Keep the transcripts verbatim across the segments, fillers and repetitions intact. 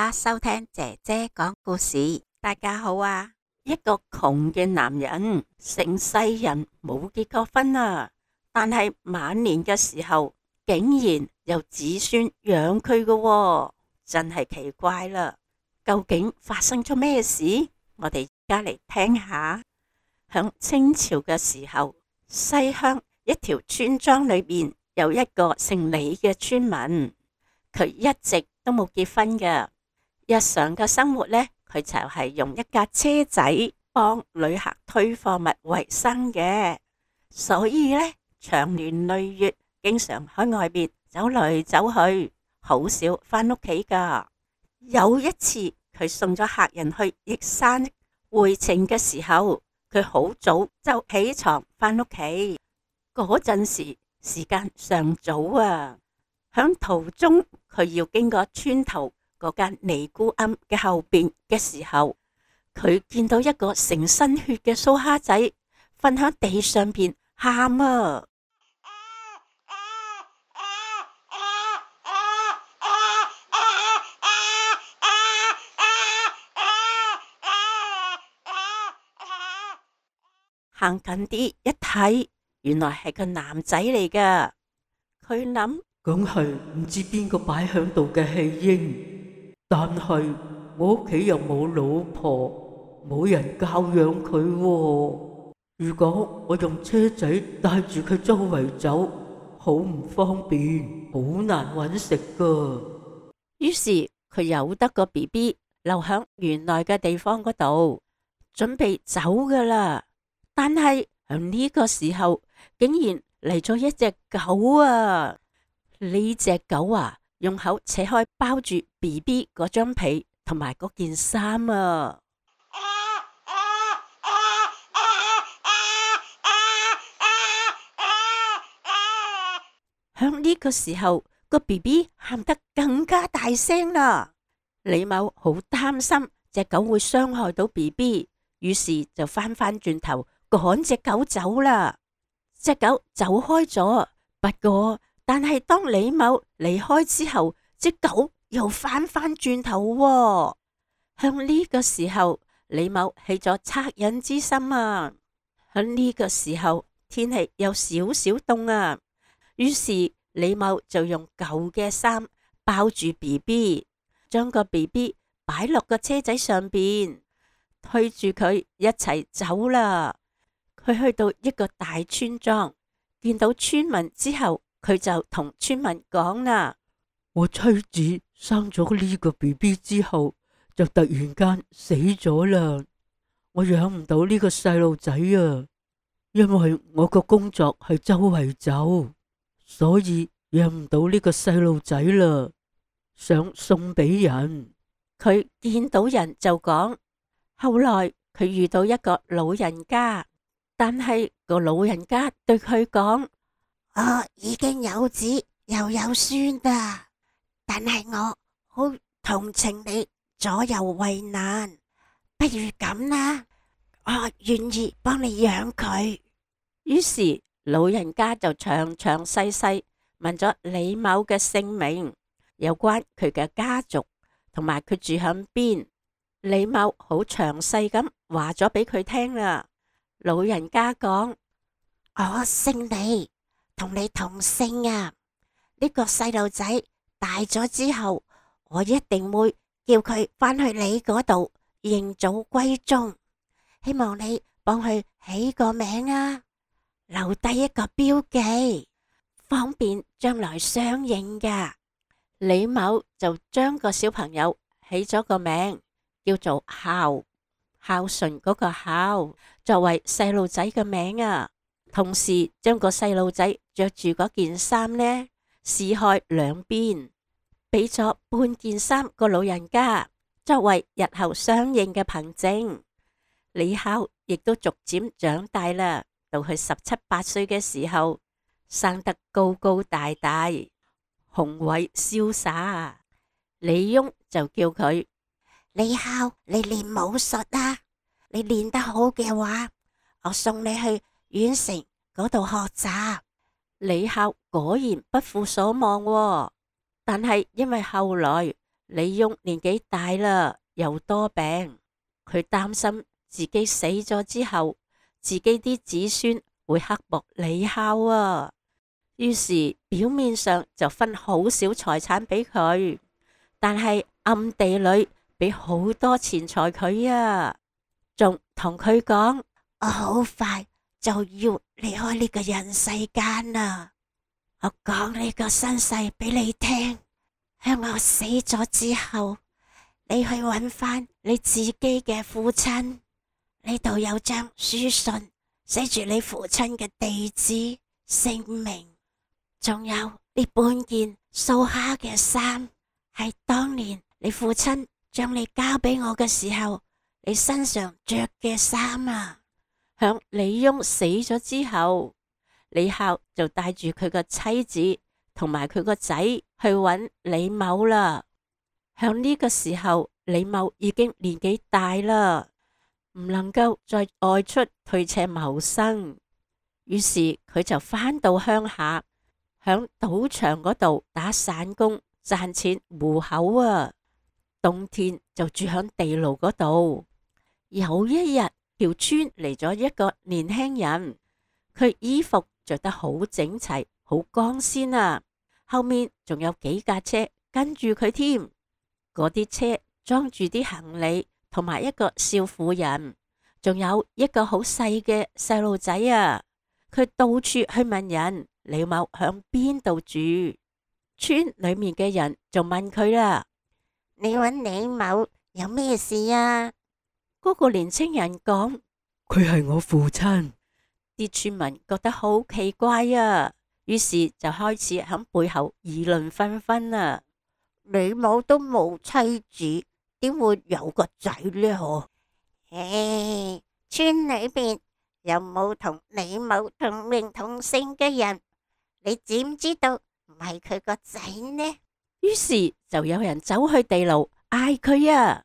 家收聽姐姐講故事。大家好啊！一個窮嘅男人，成世人冇結過婚啊，但係晚年嘅時候，竟然有子孫養佢嘅，真係奇怪啦！究竟發生咗咩事？我哋而家嚟聽下。響清朝嘅時候，西鄉一條村莊裏邊有一個姓李嘅村民，佢一直都冇結婚嘅。日常嘅生活呢，佢就係用一架車仔幫旅客推貨物為生嘅，所以呢，長年累月經常喺外邊走嚟走去，好少翻屋企噶。有一次佢送咗客人去驛山，回程嘅時候，佢好早就起床翻屋企。嗰陣時時間尚早啊，響途中佢要經過村頭嗰間尼姑庵嘅後邊嘅時候，佢見到一個成身血嘅蘇蝦仔瞓喺地上邊喊啊！行近啲一睇，原來係個男仔嚟噶。佢諗，梗係唔知邊個擺響度嘅棄嬰，但係我屋企又冇老婆，冇人教養佢喎。如果我用車仔帶住佢周圍走，好唔方便，好難搵食噶。於是佢由得個 B B 留響原來嘅地方嗰度，準備走噶啦。但係喺呢個時候，竟然嚟咗一隻狗啊！呢隻狗啊，用口扯開包住 B B 嗰張被同埋嗰件衫啊！響呢個時候，個 B B 喊得更加大聲啦。李某好擔心隻狗會傷害到 B B， 於是就翻翻轉頭趕隻狗走啦。隻狗走開咗，不過但係當李某離開之後，隻狗又翻翻轉頭喎。向呢個時候，李某起咗惻隱之心啊。喺呢個時候，天氣有少少凍啊，於是李某就用舊嘅衫包住 B B， 將個 B B 擺落個車仔上邊，推住佢一齊走啦。佢去到一個大村莊，見到村民之後，佢就同村民講啦：我妻子生咗呢個 B B 之後，就突然間死咗啦。我養唔到呢個細路仔啊，因為我個工作係周圍走，所以養唔到呢個細路仔啦。想送俾人。佢見到人就講。後來佢遇到一個老人家。但係個老人家對佢講：我已經有子又有孫啦，但係我好同情你左右為難，不如咁啦，我願意幫你養佢。於是老人家就詳詳細細問咗李某嘅姓名，有關佢嘅家族同埋佢住響邊。李某好詳細咁話咗俾佢聽啦。老人家講：我姓李，同你同姓啊！呢個細路仔大咗之後，我一定會叫佢返去你嗰度認祖歸宗，希望你幫佢起個名啊，留低一個標記，方便將來相認噶。李某就將個小朋友起咗個名，叫做孝。孝順嗰個孝作為細路仔嘅名啊，同時將個細路仔着住嗰件衫呢，撕開兩邊，俾咗半件衫個老人家作為日後相認嘅憑證。李孝亦都逐漸長大啦，到佢十七八歲嘅時候，生得高高大大，雄偉瀟灑。李翁就叫佢：李孝，你練武術啊！你練得好嘅話，我送你去縣城嗰度學習。李孝果然不負所望喎，但係因為後來李翁年紀大啦，又多病，佢擔心自己死咗之後，自己啲子孫會刻薄李孝啊。於是表面上就分好少財產俾佢，但係暗地裏俾好多錢財佢啊，仲同佢講：我好快就要離開呢個人世間啦，我講呢個身世俾你聽，喺我死咗之後，你去揾翻你自己嘅父親，呢度有張書信，寫住你父親嘅地址、姓名，仲有呢半件素蝦嘅衫，係當年你父親將你交俾我嘅時候，你身上着嘅衫啊。響李翁死咗之後，李孝就帶住佢個妻子同埋佢個仔去揾李某啦。響呢個時候，李某已經年紀大啦，唔能夠再外出退斜謀生，於是佢就返到鄉下，響賭場嗰度打散工賺錢糊口啊。冬天就住響地牢嗰度。有一日，條村嚟咗一個年輕人，佢衣服着得好整齊，好光鮮啊。後面仲有幾架車跟住佢添，嗰啲車裝住啲行李同埋一個少婦人，仲有一個好細嘅細路仔啊。佢到處去問人李某響邊度住，村裏面嘅人就問佢啦：你揾李某有咩事啊？嗰個年青人講：佢係我父親。啲村民覺得好奇怪啊，於是就開始喺背後議論紛紛啊。李某都冇妻子，點會有個仔呢？嗬？唉，村裏邊有冇同李某同名同姓嘅人？你知唔知道唔係佢個仔呢？於是就有人走去地牢嗌佢啊：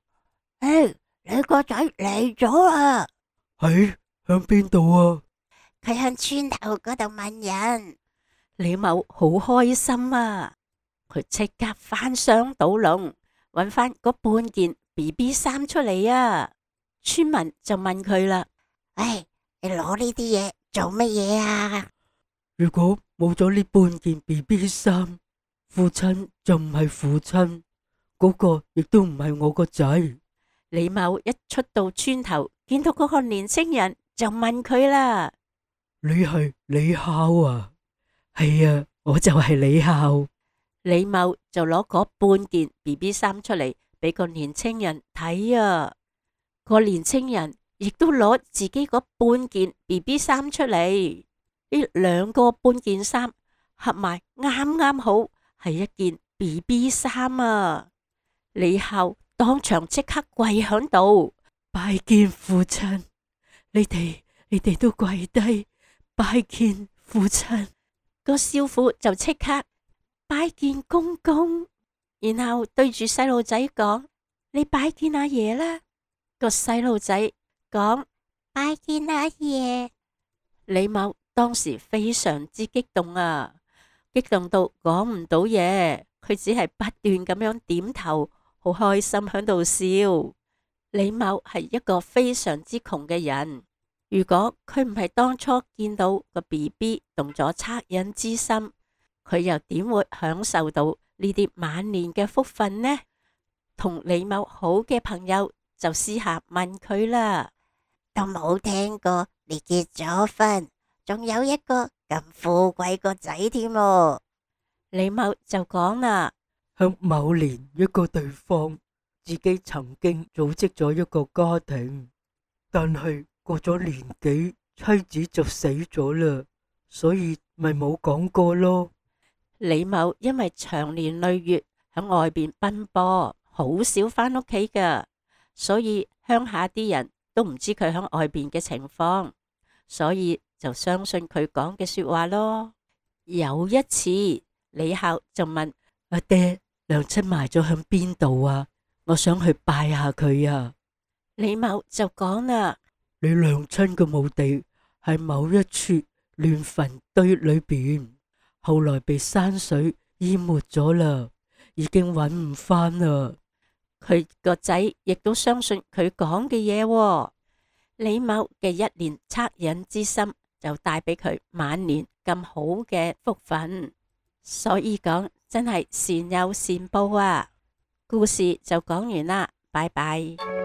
誒，你個仔嚟咗啦！喺響邊度啊？佢向村頭嗰度問人。李某好開心啊，佢即刻翻箱倒籠，揾翻嗰半件 B B 衫出嚟啊！村民就問佢啦：喂，你攞呢啲嘢做乜嘢啊？如果冇咗呢半件 B B 衫，父親就唔係父親，嗰個亦都唔係我個仔。李某一出到村頭，見到嗰個年青人，就問佢啦：你係李孝啊？係啊，我就係李孝。李某就攞嗰半件 B B 衫出嚟俾個年青人睇啊。個年青人亦都攞自己嗰半件 B B 衫出嚟，呢兩個半件衫合埋啱啱好係一件 B B 衫啊！李孝當場即刻跪響度，拜見父親。你哋你哋都跪低拜見父親。個少婦就即刻拜見公公，然後對住細路仔講：你拜見阿爺啦。個細路仔講：拜見阿爺。李某當時非常之激動啊，激動到講唔到嘢，佢只係不斷咁樣點頭，好開心響度笑。李某係一個非常之窮嘅人，如果佢唔係當初見到個 B B 動咗惻隱之心，佢又點會享受到呢啲晚年嘅福分呢？同李某好嘅朋友就私下問佢啦：都冇聽過你結咗婚，仲有一個咁富貴個仔添喎。李某就講啦：響某年一個地方，自己曾經組織咗一個家庭，但係過咗年幾，妻子就死咗啦，所以咪冇講過咯。李某因為長年累月喺外邊奔波，好少翻屋企噶，所以鄉下啲人都唔知佢喺外邊嘅情況，所以就相信佢講嘅說話咯。有一次，李孝就問阿爹，娘親埋咗響邊度啊？我想去拜下佢啊。李某就講啦：你娘親嘅墓地喺某一處亂墳堆裏邊，後來被山水淹沒咗啦。已經揾唔返啦。佢個仔亦都相信佢講嘅嘢。李某嘅一念惻隱之心就帶俾佢晚年咁好嘅福分，所以講真係善有善報啊！故事就講完啦，拜拜。